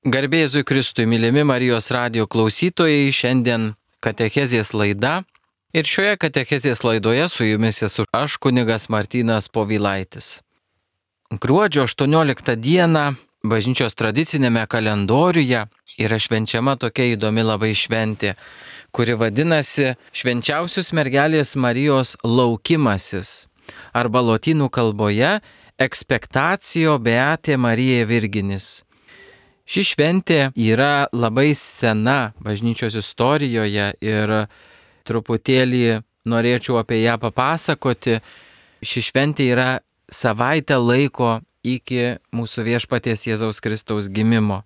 Garbė Jėzui Kristui, mylimi Marijos radijo klausytojai, šiandien katechezės laida. Ir šioje katechezės laidoje su jumis esu aš, kunigas Martynas Povilaitis. Gruodžio 18 dieną bažnyčios tradicinėme kalendoriuje yra švenčiama tokia įdomi labai šventė, kuri vadinasi Švenčiausios mergelės Marijos laukimasis, arba lotynų kalboje Expectatio Beatae Mariae Virginis. Ši šventė yra labai sena bažnyčios istorijoje ir truputėlį norėčiau apie ją papasakoti. Ši šventė yra savaitę laiko iki mūsų viešpaties Jėzaus Kristaus gimimo.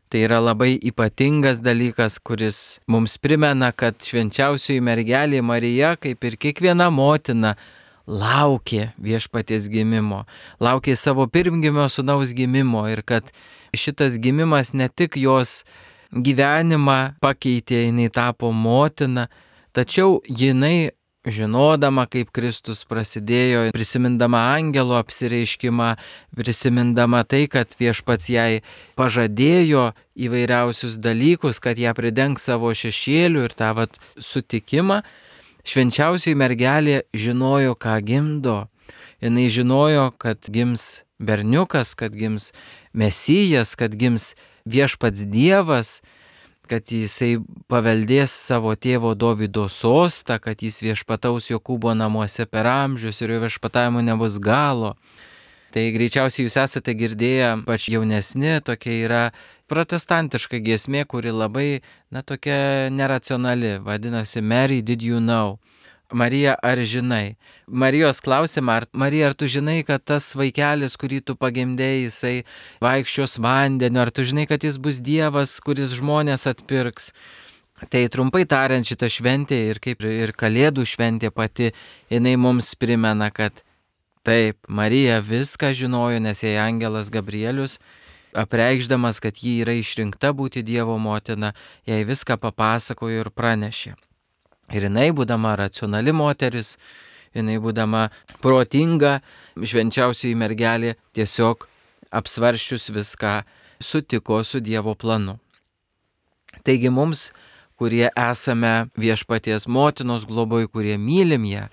Tai yra labai ypatingas dalykas, kuris mums primena, kad švenčiausioji mergelė Marija, kaip ir kiekviena motina, laukė viešpaties gimimo, laukė savo pirmgimio sūnaus gimimo ir kad šitas gimimas ne tik jos gyvenimą pakeitė, jinai tapo motina, tačiau jinai, žinodama, kaip Kristus prasidėjo, prisimindama angelo apsireiškimą, prisimindama tai, kad viešpats jai pažadėjo įvairiausius dalykus, kad ją pridengs savo šešėliu ir tą sutikimą, švenčiausioji mergelė žinojo, ką gimdo. Jinai žinojo, kad gims berniukas, kad gims Mesijas, kad gims viešpats Dievas, kad jisai paveldės savo tėvo Dovydo sostą, kad jis viešpataus Jokūbo namuose per amžius ir jo viešpatavimo nebus galo. Tai greičiausiai jūs esate girdėję, pač jaunesni, tokia yra protestantiška giesmė, kuri labai, tokia neracionali, vadinasi Mary, did you know? Marija, ar žinai? Marijos klausimą, Marija, ar tu žinai, kad tas vaikelis, kurį tu pagimdėjai, jisai vaikščios vandeniu, ar tu žinai, kad jis bus Dievas, kuris žmonės atpirks? Tai trumpai tariant, šita šventė ir kaip ir Kalėdų šventė pati, jinai mums primena, kad taip, Marija viską žinojo, nes jai angelas Gabrielius, apreikšdamas, kad ji yra išrinkta būti Dievo motina, jai viską papasakojo ir pranešė. Ir jinai, būdama racionali moteris, jinai, būdama protinga, švenčiausioji mergelė tiesiog apsvaršius viską sutiko su Dievo planu. Taigi mums, kurie esame viešpaties motinos globoj, kurie mylim ją,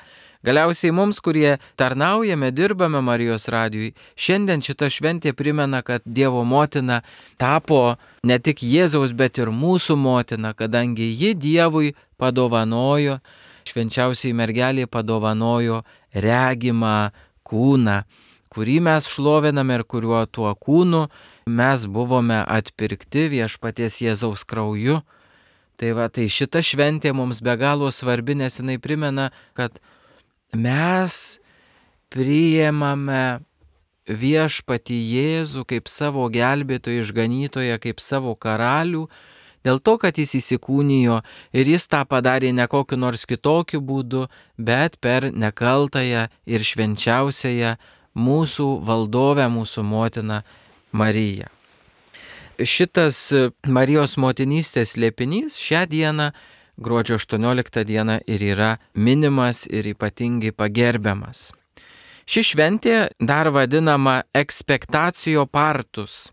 galiausiai mums, kurie tarnaujame, dirbame Marijos radijui, šiandien šita šventė primena, kad Dievo motina tapo ne tik Jėzaus, bet ir mūsų motina, kadangi ji Dievui padovanojo, švenčiausiai mergelė padovanojo regimą kūną, kurį mes šloviname ir kuriuo tuo kūnu mes buvome atpirkti viešpaties Jėzaus krauju. Tai šita šventė mums be galo svarbi, nes jinai primena, kad mes priėmame viešpatį Jėzų kaip savo gelbėtoją, išganytoją, kaip savo karalių, dėl to, kad jis įsikūnijo ir jis tą padarė ne kokiu nors kitokiu būdu, bet per nekaltąją ir švenčiausiąją mūsų valdovę, mūsų motiną Mariją. Šitas Marijos motinystės slėpinys šią dieną, gruodžio 18 dieną, ir yra minimas ir ypatingai pagerbiamas. Ši šventė dar vadinama Expectatio Partus.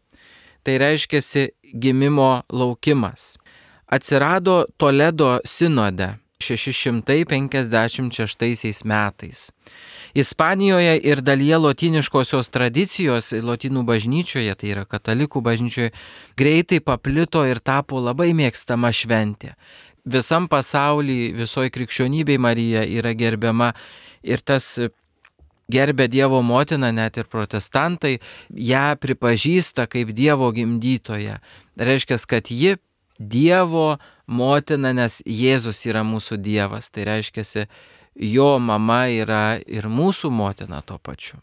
Tai reiškiasi gimimo laukimas. Atsirado Toledo sinode 656 metais. Ispanijoje ir dalyje lotyniškosios tradicijos, lotynų bažnyčioje, tai yra katalikų bažnyčioje, greitai paplito ir tapo labai mėgstama šventė. Visam pasaulyje, visoje krikščionybėje Marija yra gerbiama ir tas gerbė Dievo motiną, net ir protestantai ją pripažįsta kaip Dievo gimdytoją. Reiškia, kad ji Dievo motina, nes Jėzus yra mūsų Dievas. Tai reiškia, jo mama yra ir mūsų motina tuo pačiu.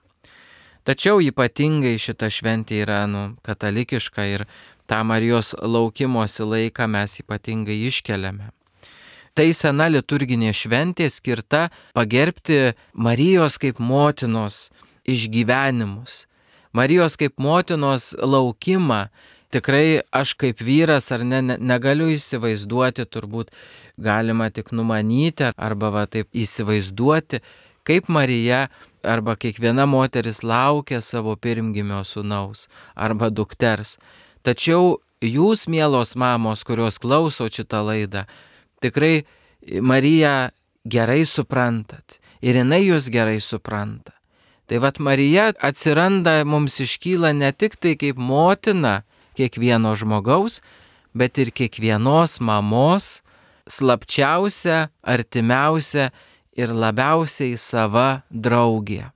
Tačiau ypatingai šita šventė yra katalikiška ir tą Marijos laukimosi laiką mes ypatingai iškeliame. Tai sena liturginė šventė skirta pagerbti Marijos kaip motinos išgyvenimus, Marijos kaip motinos laukimą. Tikrai aš kaip vyras ar negaliu įsivaizduoti, turbūt galima tik numanyti arba taip įsivaizduoti, kaip Marija arba kiekviena moteris laukia savo pirmgimio sūnaus arba dukters. Tačiau jūs, mielos mamos, kurios klauso šitą laidą, tikrai Mariją gerai suprantat ir jinai jūs gerai supranta. Tai vat Marija atsiranda, mums iškyla ne tik tai kaip motina kiekvieno žmogaus, bet ir kiekvienos mamos slapčiausia, artimiausia ir labiausiai sava draugė.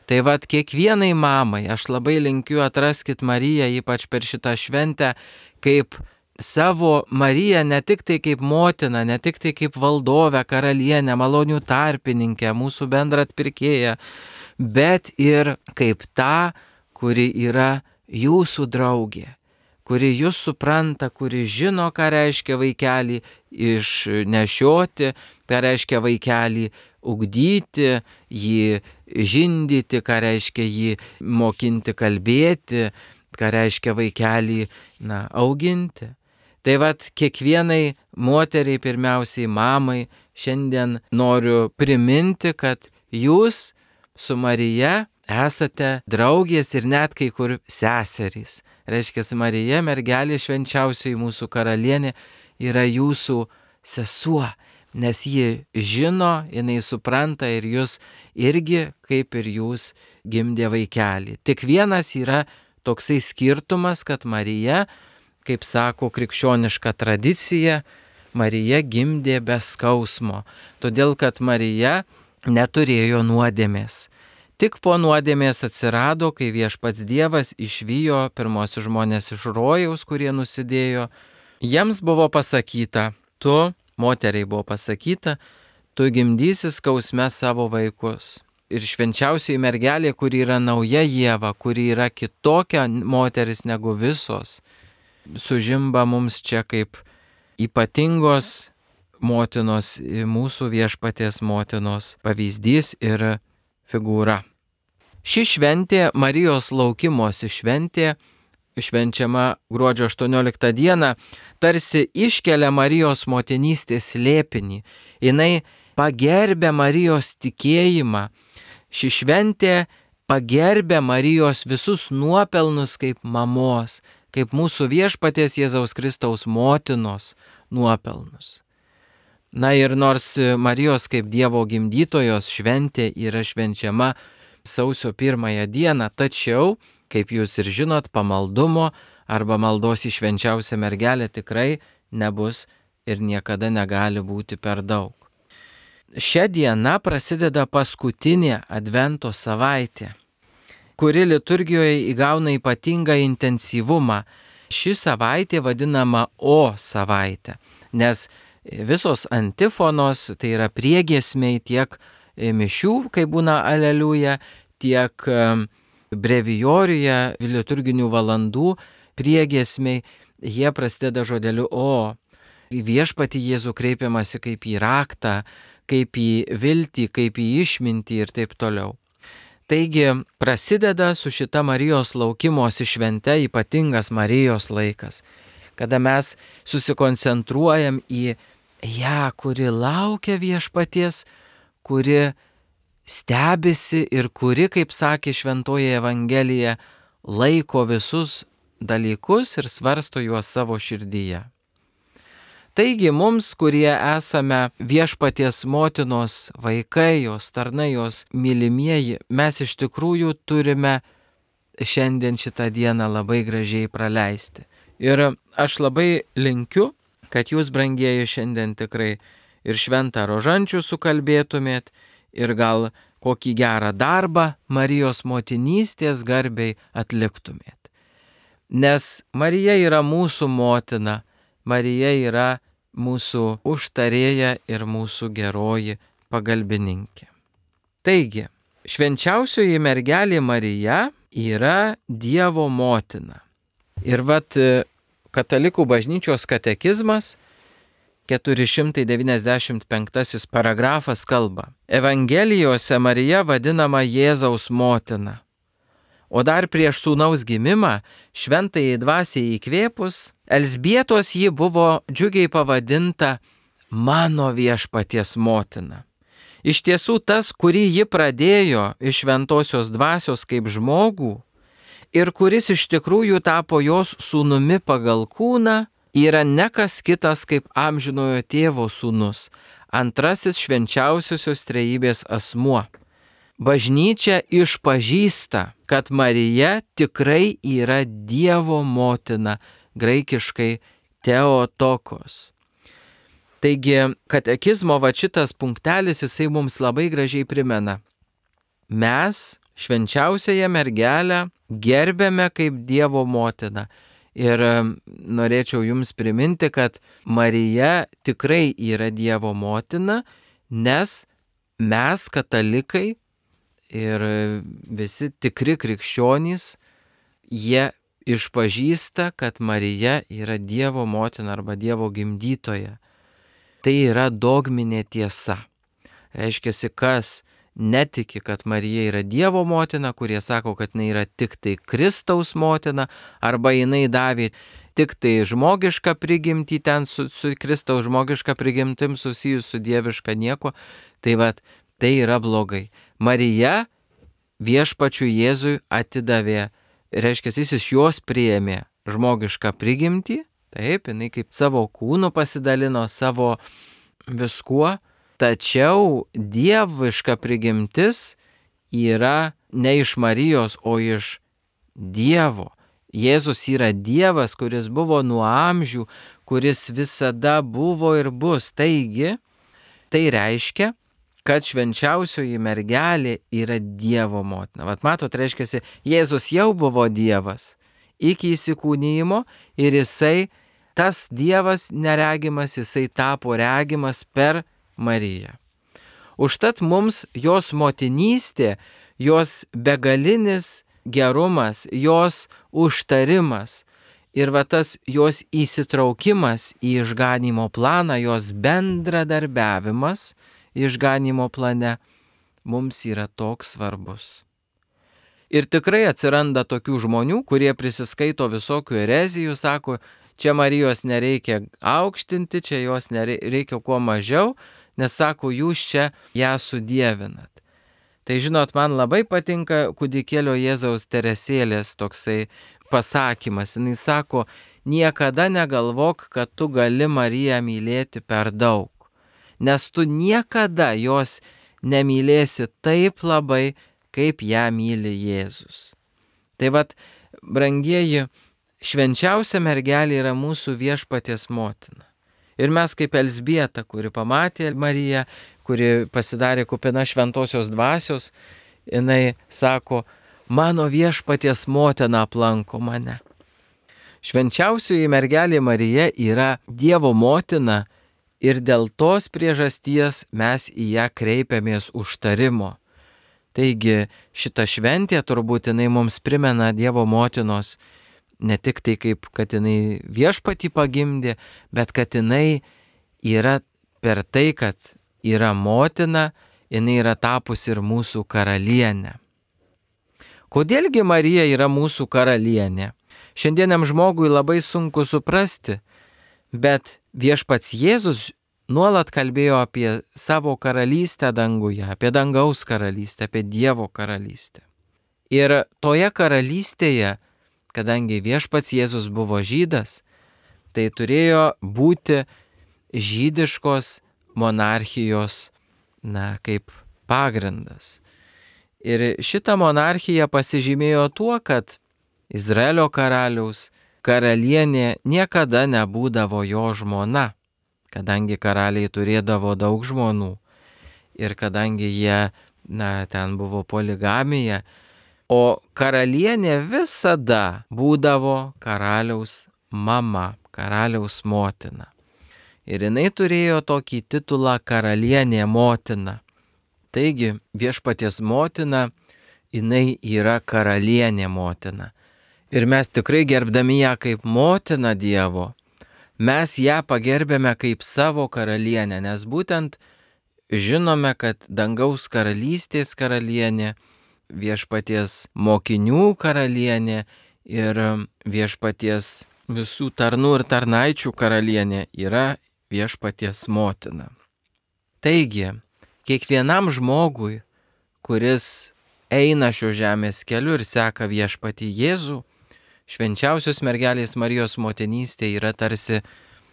Tai vat kiekvienai mamai aš labai linkiu atraskit Mariją, ypač per šitą šventę, kaip savo Mariją, ne tik tai kaip motiną, ne tik tai kaip valdovę, karalienę, malonių tarpininkę, mūsų bendrą atpirkėją, bet ir kaip tą, kuri yra jūsų draugė, kuri jūs supranta, kuri žino, ką reiškia vaikelį išnešioti, ką reiškia vaikelį ugdyti, jį žindyti, ką reiškia jį mokinti kalbėti, ką reiškia vaikelį auginti. Tai vat kiekvienai moteriai, pirmiausiai mamai, šiandien noriu priminti, kad jūs su Marija esate draugės ir net kai kur seserys. Reiškia, Marija, mergelė švenčiausioji mūsų karalienė, yra jūsų sesuo, nes ji žino, jinai supranta ir jūs irgi, kaip ir jūs, gimdė vaikelį. Tik vienas yra toksai skirtumas, kad Marija, kaip sako krikščioniška tradicija, Marija gimdė be skausmo, todėl kad Marija neturėjo nuodėmės. Tik po nuodėmės atsirado, kai viešpats Dievas išvijo pirmosius žmonės iš rojaus, kurie nusidėjo. Jiems buvo pasakyta, moteriai buvo pasakyta, tu gimdysi skausme savo vaikus. Ir švenčiausioji mergelė, kuri yra nauja Ieva, kuri yra kitokia moteris negu visos, sužimba mums čia kaip ypatingos motinos, mūsų viešpaties motinos pavyzdys ir figūra. Ši šventė, Marijos laukimosi šventė, švenčiama gruodžio 18 dieną, tarsi iškelia Marijos motinystės slėpinį. Jinai pagerbia Marijos tikėjimą. Ši šventė pagerbia Marijos visus nuopelnus kaip mamos, kaip mūsų viešpaties Jėzaus Kristaus motinos nuopelnus. Ir nors Marijos kaip Dievo gimdytojos šventė yra švenčiama sausio 1 dieną, tačiau, kaip jūs ir žinot, pamaldumo arba maldos į švenčiausią mergelę tikrai nebus ir niekada negali būti per daug. Šią dieną prasideda paskutinė Advento savaitė, kuri liturgijoje įgauna ypatingą intensyvumą. Ši savaitė vadinama O savaitė, nes visos antifonos, tai yra priegiesmiai tiek mišių, kai būna aleliuja, tiek brevijoriuje liturginių valandų priegiesmiai, jie prasideda žodeliu O. Į viešpatį Jėzų kreipiamasi kaip į raktą, kaip į viltį, kaip į išmintį ir taip toliau. Taigi prasideda su šita Marijos laukimosi švente ypatingas Marijos laikas, kada mes susikoncentruojam į ją, kuri laukia viešpaties, kuri stebisi ir kuri, kaip sakė Šventoji Evangelija, laiko visus dalykus ir svarsto juos savo širdyje. Taigi mums, kurie esame viešpaties motinos vaikai, jos tarnai, jos mylimieji, mes iš tikrųjų turime šiandien šitą dieną labai gražiai praleisti. Ir aš labai linkiu, kad jūs, brangieji, šiandien tikrai ir šventą rožančių sukalbėtumėt, ir gal kokį gerą darbą Marijos motinystės garbei atliktumėt. Nes Marija yra mūsų motina, Marija yra mūsų užtarėja ir mūsų geroji pagalbininkė. Taigi, švenčiausioji mergelė Marija yra Dievo motina. Ir Katalikų bažnyčios katekizmas 495 paragrafas kalba: Evangelijose Marija vadinama Jėzaus motina. O dar prieš sūnaus gimimą, šventajai dvasiai įkvėpus, Elzbietos ji buvo džiugiai pavadinta mano viešpaties motina. Iš tiesų tas, kurį ji pradėjo iš šventosios dvasios kaip žmogų ir kuris iš tikrųjų tapo jos sūnumi pagal kūną, yra ne kas kitas kaip amžinojo tėvo sūnus, antrasis švenčiausiosios trejybės asmuo. Bažnyčia išpažįsta, kad Marija tikrai yra Dievo motina, graikiškai Theotokos. Taigi, katekizmo šitas punktelis jisai mums labai gražiai primena. Mes švenčiausiąją mergelę gerbėme kaip Dievo motiną. Ir norėčiau jums priminti, kad Marija tikrai yra Dievo motina, nes mes katalikai ir visi tikri krikščionys, jie išpažįsta, kad Marija yra Dievo motina arba Dievo gimdytoja. Tai yra dogminė tiesa. Reiškia, kas netiki, kad Marija yra Dievo motina, kurie sako, kad jinai yra tik tai Kristaus motina, arba jinai davė tik tai žmogišką prigimtį, ten su Kristaus žmogiška prigimtim susijus su dieviška nieko, tai yra blogai. Marija viešpačiui Jėzui atidavė, reiškia, jis iš jos priėmė žmogišką prigimtį, taip, jinai kaip savo kūnu pasidalino, savo viskuo, tačiau dieviška prigimtis yra ne iš Marijos, o iš Dievo. Jėzus yra Dievas, kuris buvo nuo amžių, kuris visada buvo ir bus. Taigi, tai reiškia, kad švenčiausioji mergelė yra Dievo motina. Vat matot, reiškia, Jėzus jau buvo Dievas iki įsikūnijimo ir jisai, tas Dievas neregimas, jisai tapo regimas per Mariją. Užtat mums jos motinystė, jos begalinis gerumas, jos užtarimas ir tas jos įsitraukimas į išganymo planą, jos bendradarbiavimas išganymo plane mums yra toks svarbus. Ir tikrai atsiranda tokių žmonių, kurie prisiskaito visokių erezijų, sako, čia Marijos nereikia aukštinti, čia jos reikia kuo mažiau, nes sako, jūs čia ją sudievinat. Tai žinot, man labai patinka kūdikėlio Jėzaus Teresėlės toksai pasakymas. Jis sako, niekada negalvok, kad tu gali Mariją mylėti per daug, nes tu niekada jos nemylėsi taip labai, kaip ją myli Jėzus. Tai brangieji, švenčiausia mergelė yra mūsų viešpaties motina. Ir mes kaip Elzbieta, kuri pamatė Mariją, kuri pasidarė kupina šventosios dvasios, jinai sako, mano viešpaties motina aplanko mane. Švenčiausioji mergelė Marija yra Dievo motina ir dėl tos priežasties mes į ją kreipiamės užtarimo. Taigi šita šventė turbūt jinai mums primena Dievo motinos ne tik tai kaip, kad jinai viešpatį pagimdė, bet kad jinai yra per tai, kad yra motina, jinai yra tapusi ir mūsų karalienė. Kodėlgi Marija yra mūsų karalienė? Šiandieniam žmogui labai sunku suprasti, bet viešpats Jėzus nuolat kalbėjo apie savo karalystę danguje, apie dangaus karalystę, apie Dievo karalystę. Ir toje karalystėje, kadangi viešpats Jėzus buvo žydas, tai turėjo būti žydiškos monarchijos, kaip pagrindas. Ir šita monarchija pasižymėjo tuo, kad Izraelio karaliaus karalienė niekada nebūdavo jo žmona, kadangi karaliai turėdavo daug žmonų ir kadangi jie, ten buvo poligamija, o karalienė visada būdavo karaliaus mama, karaliaus motina. Ir jinai turėjo tokį titulą karalienė motina. Taigi viešpaties motina, jinai yra karalienė motina. Ir mes tikrai gerbdami ją kaip motiną Dievo, mes ją pagerbėme kaip savo karalienę, nes būtent žinome, kad dangaus karalystės karalienė, viešpaties mokinių karalienė ir viešpaties visų tarnų ir tarnaičių karalienė yra viešpaties motina. Taigi, kiekvienam žmogui, kuris eina šio žemės keliu ir seka viešpatį Jėzų, švenčiausios mergelės Marijos motinystė yra tarsi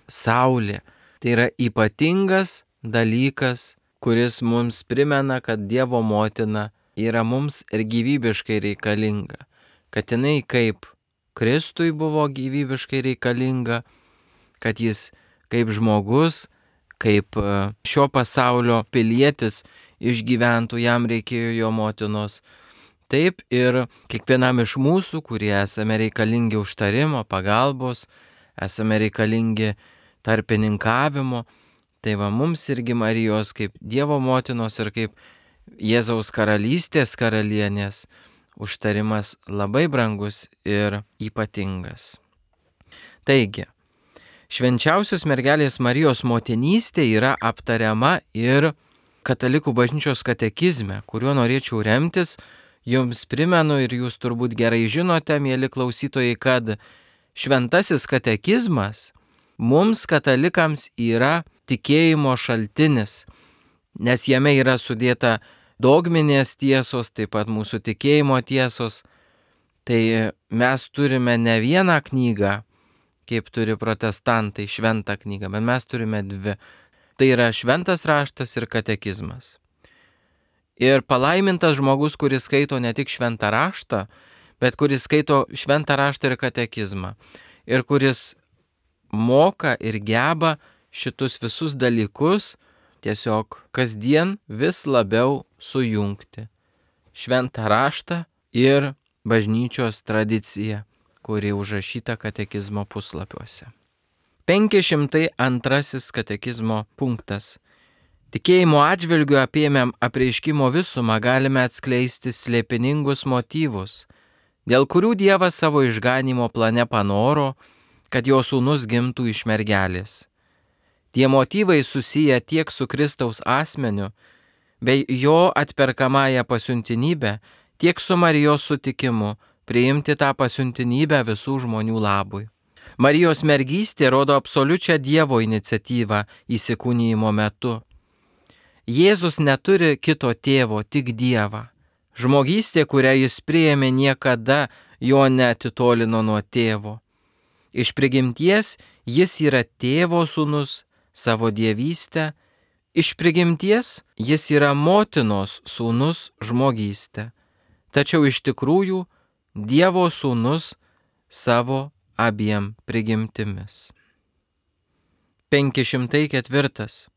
saulė. Tai yra ypatingas dalykas, kuris mums primena, kad Dievo motina yra mums ir gyvybiškai reikalinga. Kad jinai kaip Kristui buvo gyvybiškai reikalinga, kad jis kaip žmogus, kaip šio pasaulio pilietis išgyventų, jam reikėjo jo motinos. Taip ir kiekvienam iš mūsų, kurie esame reikalingi užtarimo, pagalbos, esame reikalingi tarpininkavimo, tai va mums irgi Marijos kaip Dievo motinos ir kaip Jėzaus karalystės karalienės užtarimas labai brangus ir ypatingas. Taigi, švenčiausios mergelės Marijos motinystė yra aptariama ir Katalikų bažnyčios katekizme, kuriuo norėčiau remtis. Jums primenu ir jūs turbūt gerai žinote, mieli klausytojai, kad šventasis katekizmas mums katalikams yra tikėjimo šaltinis, nes jame yra sudėta dogminės tiesos, taip pat mūsų tikėjimo tiesos. Tai mes turime ne vieną knygą, kaip turi protestantai, šventą knygą, bet mes turime dvi. Tai yra šventas raštas ir katekizmas. Ir palaimintas žmogus, kuris skaito ne tik šventą raštą, bet kuris skaito šventą raštą ir katekizmą. Ir kuris moka ir geba šitus visus dalykus tiesiog kasdien vis labiau sujungti. Šventą raštą ir bažnyčios tradiciją, kuri užrašyta katekizmo puslapiuose. 502 katekizmo punktas. Tikėjimo atžvilgiu apėmėm apreiškimo visumą galime atskleisti slėpiningus motyvus, dėl kurių Dievas savo išganimo plane panoro, kad jo sūnus gimtų iš mergelės. Tie motyvai susiję tiek su Kristaus asmeniu, bei jo atperkamąją pasiuntinybę, tiek su Marijos sutikimu priimti tą pasiuntinybę visų žmonių labui. Marijos mergystė rodo absoliučią Dievo iniciatyvą įsikūnijimo metu. Jėzus neturi kito tėvo, tik Dievą. Žmogystė, kurią jis priėmė, niekada jo neatitolino nuo tėvo. Iš prigimties jis yra tėvo sūnus savo dievystę, iš prigimties jis yra motinos sūnus žmogystę, tačiau iš tikrųjų Dievo sūnus savo abiem prigimtimis. 504.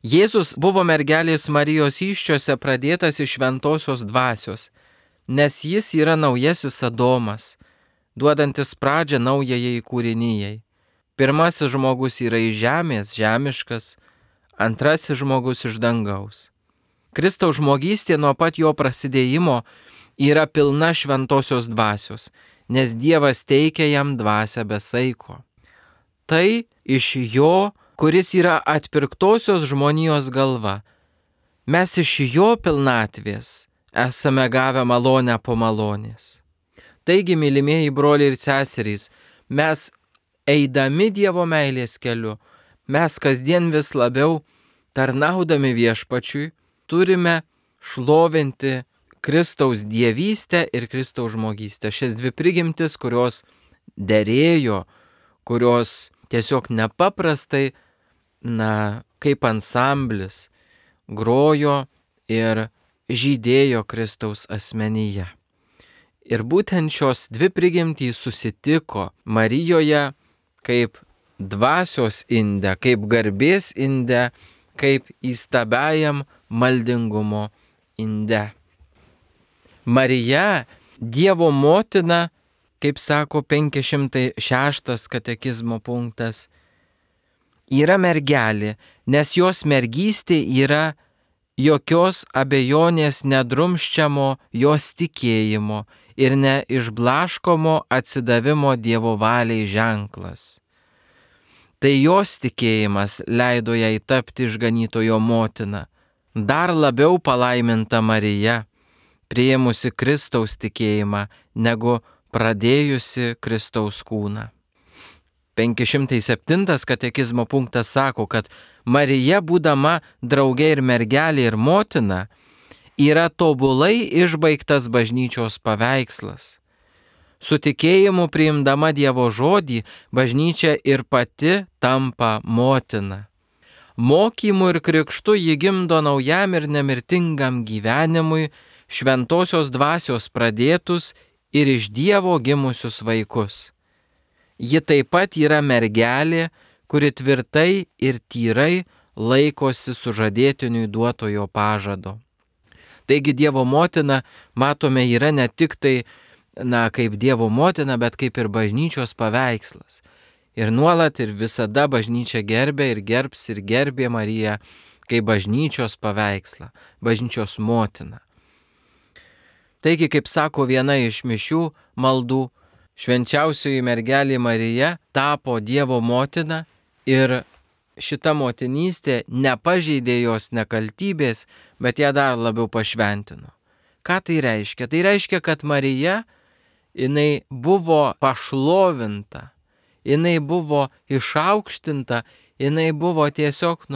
Jėzus buvo mergelės Marijos įsčiose pradėtas iš šventosios dvasios, nes jis yra naujasis Adomas, duodantis pradžią naujajai kūrinijai. Pirmasis žmogus yra iš žemės, žemiškas, antrasis žmogus iš dangaus. Kristaus žmogystė nuo pat jo prasidėjimo yra pilna šventosios dvasios, nes Dievas teikia jam dvasią be saiko. Tai iš jo, kuris yra atpirktosios žmonijos galva. Mes iš jo pilnatvės esame gavę malonę po malonės. Taigi, mylimieji broliai ir seserys, mes eidami Dievo meilės keliu, mes kasdien vis labiau tarnaudami viešpačiui turime šlovinti Kristaus dievystę ir Kristaus žmogystę. Šias dvi prigimtis, kurios derėjo, kurios tiesiog nepaprastai, kaip ansamblis, grojo ir žydėjo Kristaus asmenyje. Ir būtent šios dvi prigimtys susitiko Marijoje kaip dvasios inde, kaip garbės inde, kaip įstabiajam maldingumo inde. Marija, Dievo motina, kaip sako 506 katekizmo punktas, yra mergelė, nes jos mergystė yra jokios abejonės nedrumsčiamo jos tikėjimo ir neišblaškomo atsidavimo Dievo valiai ženklas. Tai jos tikėjimas leido jai tapti išganytojo motina, dar labiau palaiminta Marija, priėmusi Kristaus tikėjimą, negu pradėjusi Kristaus kūną. 507 katekizmo punktas sako, kad Marija, būdama draugė ir mergelė ir motina, yra tobulai išbaigtas bažnyčios paveikslas. Su tikėjimu priimdama Dievo žodį, bažnyčia ir pati tampa motina. Mokymu ir krikštu ji gimdo naujam ir nemirtingam gyvenimui šventosios dvasios pradėtus ir iš Dievo gimusius vaikus. Ji taip pat yra mergelė, kuri tvirtai ir tyrai laikosi sužadėtiniui duotojo pažado. Taigi Dievo motina, matome, yra ne tik tai, kaip Dievo motina, bet kaip ir bažnyčios paveikslas. Ir nuolat ir visada bažnyčia gerbė ir gerbs ir gerbė Mariją kaip bažnyčios paveikslą, bažnyčios motiną. Taigi, kaip sako viena iš mišių maldų, švenčiausioji mergelė Marija tapo Dievo motina ir šita motinystė nepažeidė jos nekaltybės, bet ją dar labiau pašventino. Ką tai reiškia? Tai reiškia, kad Marija, jinai buvo pašlovinta, jinai buvo išaukštinta, jinai buvo tiesiog,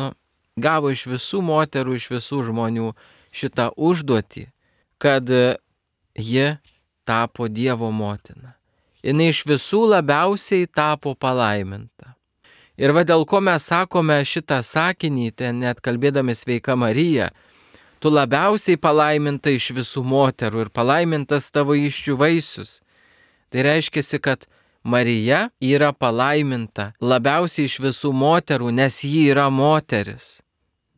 gavo iš visų moterų, iš visų žmonių šitą užduotį, kad ji tapo Dievo motina. Jinai iš visų labiausiai tapo palaiminta. Ir dėl ko mes sakome šitą sakinį, ten net kalbėdami Sveika Marija, tu labiausiai palaiminta iš visų moterų ir palaimintas tavo įsčių vaisius. Tai reiškia, kad Marija yra palaiminta labiausiai iš visų moterų, nes ji yra moteris.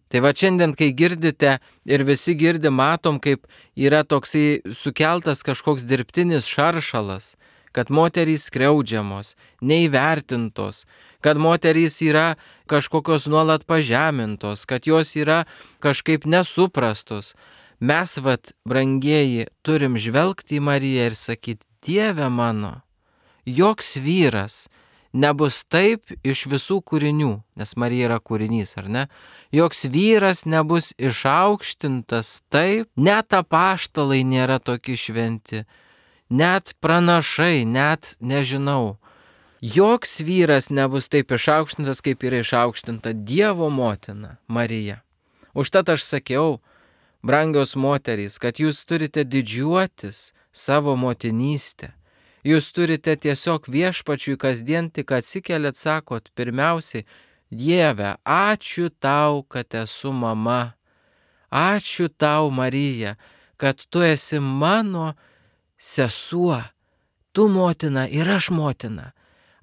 Tai šiandien, kai girdite ir visi girdi, matom, kaip yra toksai sukeltas kažkoks dirbtinis šaršalas, kad moterys skriaudžiamos, neįvertintos, kad moterys yra kažkokios nuolat pažemintos, kad jos yra kažkaip nesuprastos. Mes, brangieji, turim žvelgti į Mariją ir sakyti, Dieve mano, joks vyras nebus taip iš visų kūrinių, nes Marija yra kūrinys, ar ne? Joks vyras nebus išaukštintas taip, net apaštalai nėra tokie šventi, net pranašai, net nežinau. Joks vyras nebus taip išaukštintas, kaip yra išaukštinta Dievo motina Marija. Užtat aš sakiau, brangios moterys, kad jūs turite didžiuotis savo motinystę. Jūs turite tiesiog viešpačiui kasdien tik atsikeliat, sakot, pirmiausiai, Dieve, ačiū tau, kad esu mama. Ačiū tau, Marija, kad tu esi mano sesuo. Tu motina ir aš motina.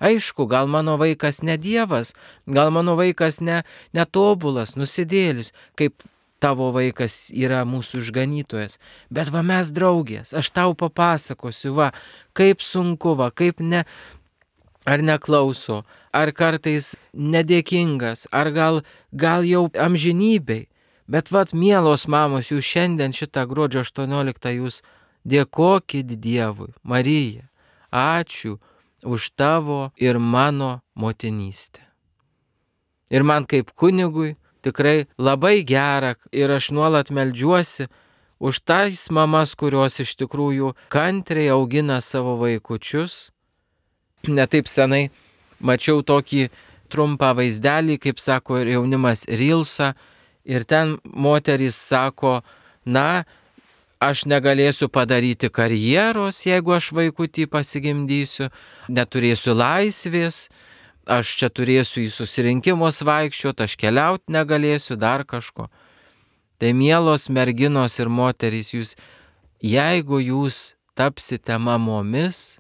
Aišku, gal mano vaikas ne Dievas, gal mano vaikas netobulas, nusidėlis, kaip tavo vaikas yra mūsų išganytojas. Bet mes draugės, aš tau papasakosiu, kaip sunku, kaip ar neklauso, ar kartais nedėkingas, ar gal jau amžinybei. Bet mielos mamos, jūs šiandien šitą gruodžio 18 jūs dėkokit Dievui, Marija, ačiū už tavo ir mano motinystę. Ir man kaip kunigui tikrai labai gera ir aš nuolat meldžiuosi už tais mamas, kurios iš tikrųjų kantriai augina savo vaikučius. Netaip senai mačiau tokį trumpą vaizdelį, kaip sako ir jaunimas, Reelsą, ir ten moterys sako, aš negalėsiu padaryti karjeros, jeigu aš vaikutį pasigimdysiu, neturėsiu laisvės, aš čia turėsiu į susirinkimus vaikščioti, aš keliauti negalėsiu, dar kažko. Tai mielos merginos ir moterys, jeigu jūs tapsite mamomis,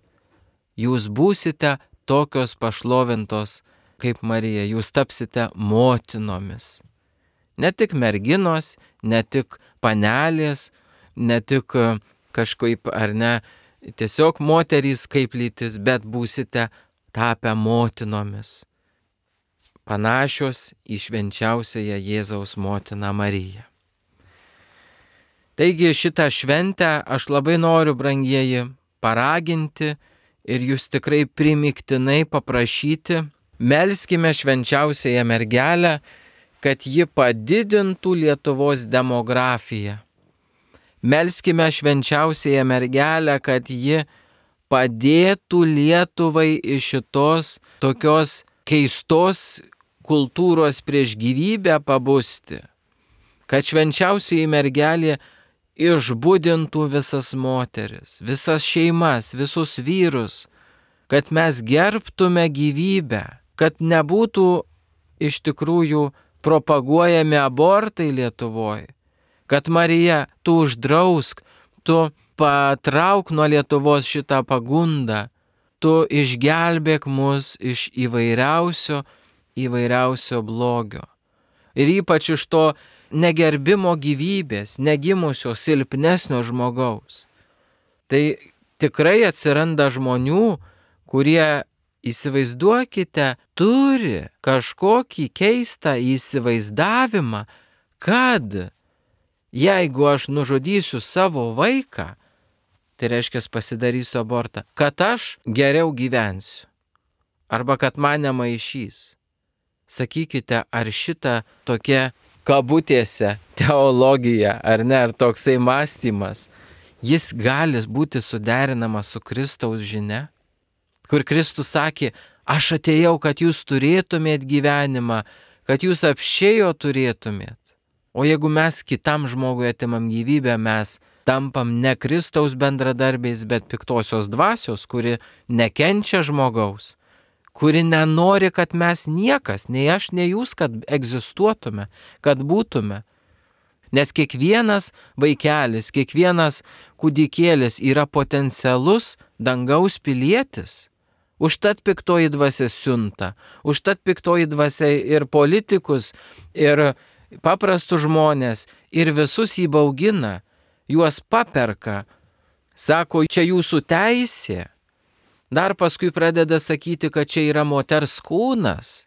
jūs būsite tokios pašlovintos kaip Marija, jūs tapsite motinomis. Ne tik merginos, ne tik panelės, ne tik kažkaip ar ne, tiesiog moterys kaip lytis, bet būsite tapę motinomis, panašios į švenčiausiąją Jėzaus motiną Mariją. Taigi šitą šventę aš labai noriu, brangieji, paraginti ir jūs tikrai primygtinai paprašyti, melskime švenčiausiąją mergelę, kad ji padidintų Lietuvos demografiją. Melskime švenčiausiąją mergelę, kad ji padėtų Lietuvai iš šitos tokios keistos kultūros prieš gyvybę pabusti. Kad švenčiausioji mergelė išbudintų visas moteris, visas šeimas, visus vyrus, kad mes gerbtume gyvybę, kad nebūtų iš tikrųjų propaguojami abortai Lietuvoje, kad Marija, tu uždrausk, tu patrauk nuo Lietuvos šitą pagundą, tu išgelbėk mus iš įvairiausio blogio. Ir ypač iš to negerbimo gyvybės, negimusio silpnesnio žmogaus. Tai tikrai atsiranda žmonių, kurie, įsivaizduokite, turi kažkokį keistą įsivaizdavimą, kad jeigu aš nužudysiu savo vaiką, tai reiškia pasidarysiu abortą, kad aš geriau gyvensiu. Arba kad mane maišys. Sakykite, ar šita tokia kabutėse teologija, ar ne, ar toksai mąstymas, jis gali būti suderinamas su Kristaus žinia? Kur Kristus sakė, aš atėjau, kad jūs turėtumėt gyvenimą, kad jūs apšėjo turėtumėt. O jeigu mes kitam žmogui atimam gyvybę, mes tampam ne Kristaus bendradarbiais, bet piktosios dvasios, kuri nekenčia žmogaus, kuri nenori, kad mes niekas, nei aš, nei jūs, kad egzistuotume, kad būtume. Nes kiekvienas vaikelis, kiekvienas kūdikėlis yra potencialus dangaus pilietis. Užtat piktoji dvasia siunta, užtat piktoji dvasia ir politikus, ir paprastus žmonės, ir visus įbaugina, juos paperka, sako, čia jūsų teisė. Dar paskui pradeda sakyti, kad čia yra moters kūnas.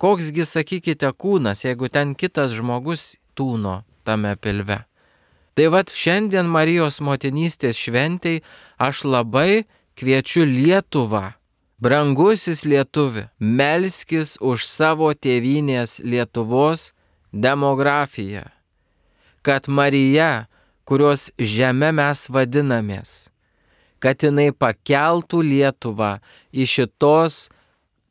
Koksgi, sakykite, kūnas, jeigu ten kitas žmogus tūno tame pilve. Tai vat šiandien Marijos motinystės šventei aš labai kviečiu Lietuvą. Brangusis lietuvi, melskis už savo tėvynės Lietuvos demografiją, kad Marija, kurios žeme mes vadinamės, kad jinai pakeltų Lietuvą iš šitos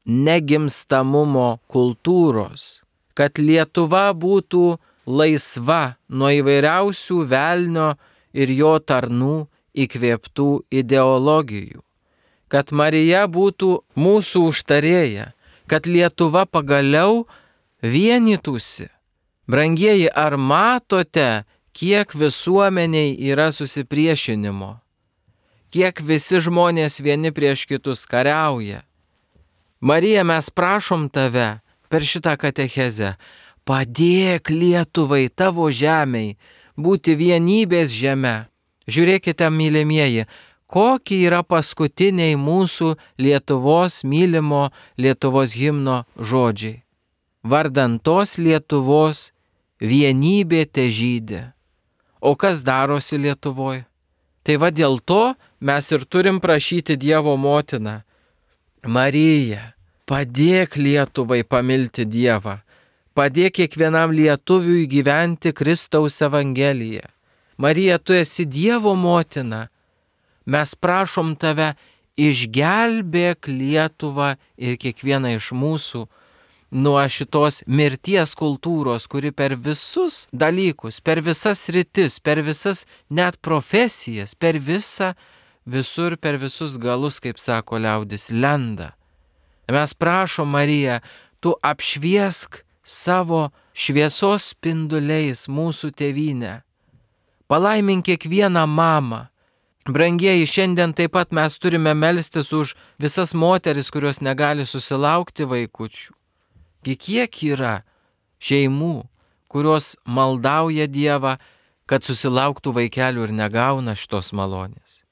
negimstamumo kultūros, kad Lietuva būtų laisva nuo įvairiausių velnio ir jo tarnų įkvėptų ideologijų, kad Marija būtų mūsų užtarėja, kad Lietuva pagaliau vienytųsi. Brangieji, ar matote, kiek visuomeniai yra susipriešinimo, kiek visi žmonės vieni prieš kitus kariauja? Marija, mes prašom tave per šitą katechezę, padėk Lietuvai, tavo žemei, būti vienybės žeme. Žiūrėkite, mylimieji, kokie yra paskutiniai mūsų Lietuvos mylimo Lietuvos himno žodžiai. Vardan tos Lietuvos vienybė težydė. O kas darosi Lietuvoje? Tai va dėl to mes ir turim prašyti Dievo motiną. Marija, padėk Lietuvai pamilti Dievą. Padėk kiekvienam lietuviui gyventi Kristaus Evangeliją. Marija, tu esi Dievo motina. Mes prašom tave, išgelbėk Lietuvą ir kiekvieną iš mūsų nuo šitos mirties kultūros, kuri per visus dalykus, per visas sritis, per visas net profesijas, per visur, per visus galus, kaip sako liaudis, lenda. Mes prašom, Marija, tu apšviesk savo šviesos spinduliais mūsų tėvynę. Palaimink kiekvieną mamą. Brangieji, šiandien taip pat mes turime melstis už visas moteris, kurios negali susilaukti vaikučių. Kiek yra šeimų, kurios maldauja Dievą, kad susilauktų vaikelių ir negauna šitos malonės.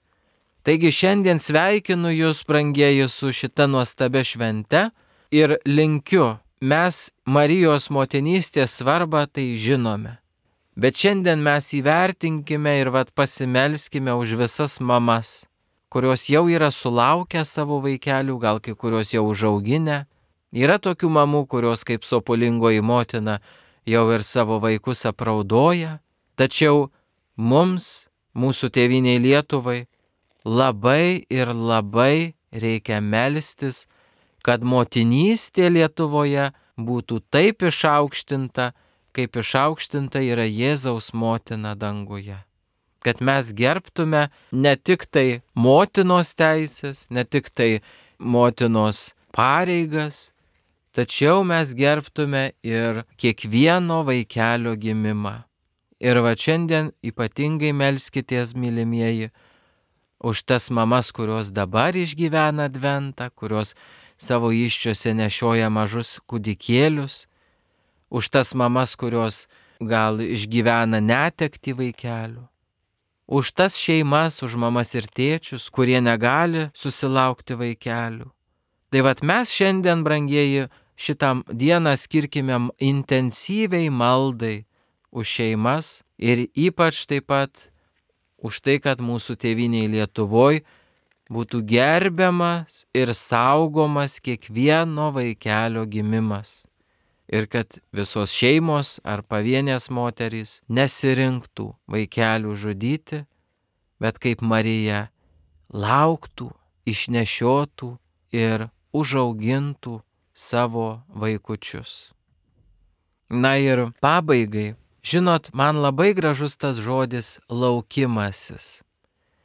Taigi šiandien sveikinu jūs, brangieji, su šita nuostabia švente ir linkiu, mes Marijos motinystės svarbą tai žinome. Bet šiandien mes įvertinkime ir pasimelskime už visas mamas, kurios jau yra sulaukę savo vaikelių, gal kai kurios jau užauginę. Yra tokių mamų, kurios kaip sopulingoji motina jau ir savo vaikus apraudoja. Tačiau mums, mūsų tėvynei Lietuvai, labai ir labai reikia melstis, kad motinystė Lietuvoje būtų taip išaukštinta, kaip išaukštinta yra Jėzaus motina danguje. kad mes gerbtume ne tik tai motinos teisės, ne tik tai motinos pareigas, tačiau mes gerbtume ir kiekvieno vaikelio gimimą. Ir va šiandien ypatingai melskitės, mylimieji, už tas mamas, kurios dabar išgyvena adventą, kurios savo įsčiose nešioja mažus kūdikėlius, už tas mamas, kurios gal išgyvena netektį vaikelių, už tas šeimas, už mamas ir tėčius, kurie negali susilaukti vaikelių. Tai vat mes šiandien, brangieji, šitam dieną skirkime intensyviai maldai už šeimas ir ypač taip pat už tai, kad mūsų tėvynėje Lietuvoje būtų gerbiamas ir saugomas kiekvieno vaikelio gimimas. Ir kad visos šeimos ar pavienės moterys nesirinktų vaikelių žudyti, bet kaip Marija lauktų, išnešiotų ir užaugintų savo vaikučius. Na ir pabaigai, žinot, man labai gražus tas žodis laukimasis.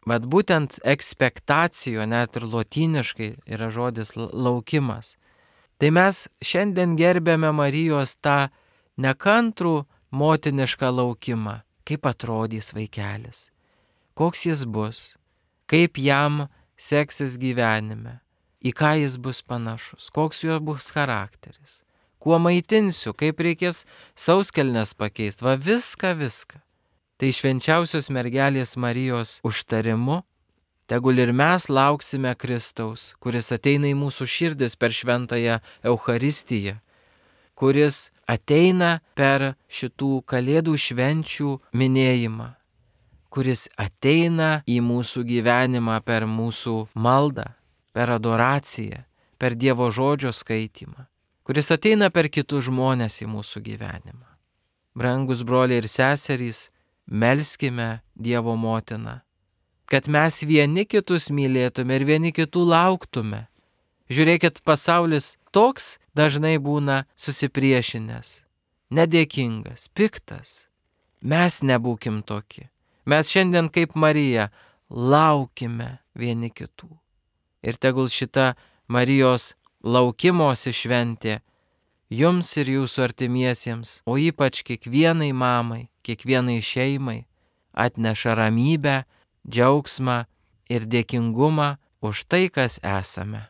Bet būtent ekspektacijo, net ir lotyniškai yra žodis laukimas. Tai mes šiandien gerbėme Marijos tą nekantrų motinišką laukimą. Kaip atrodys vaikelis, koks jis bus, kaip jam seksis gyvenime, į ką jis bus panašus, koks jo bus charakteris, kuo maitinsiu, kaip reikės sauskelnes pakeisti, va viską. Tai švenčiausios mergelės Marijos užtarimu, tegul ir mes lauksime Kristaus, kuris ateina į mūsų širdis per šventąją Eucharistiją, kuris ateina per šitų kalėdų švenčių minėjimą, kuris ateina į mūsų gyvenimą per mūsų maldą, per adoraciją, per Dievo žodžio skaitymą, kuris ateina per kitus žmonės į mūsų gyvenimą. Brangus broliai ir seserys, melskime Dievo motiną, kad mes vieni kitus mylėtume ir vieni kitų lauktume. Žiūrėkit, pasaulis toks dažnai būna susipriešinęs, nedėkingas, piktas. Mes nebūkim tokie. Mes šiandien kaip Marija laukime vieni kitų. Ir tegul šita Marijos laukimosi šventė jums ir jūsų artimiesiems, o ypač kiekvienai mamai, kiekvienai šeimai atneša ramybę, džiaugsmą ir dėkingumą už tai, kas esame.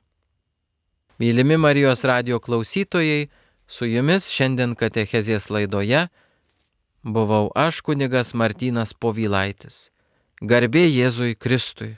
Mylimi Marijos radijo klausytojai, su jumis šiandien katechezės laidoje buvau aš, kunigas Martynas Povilaitis. Garbė Jėzui Kristui.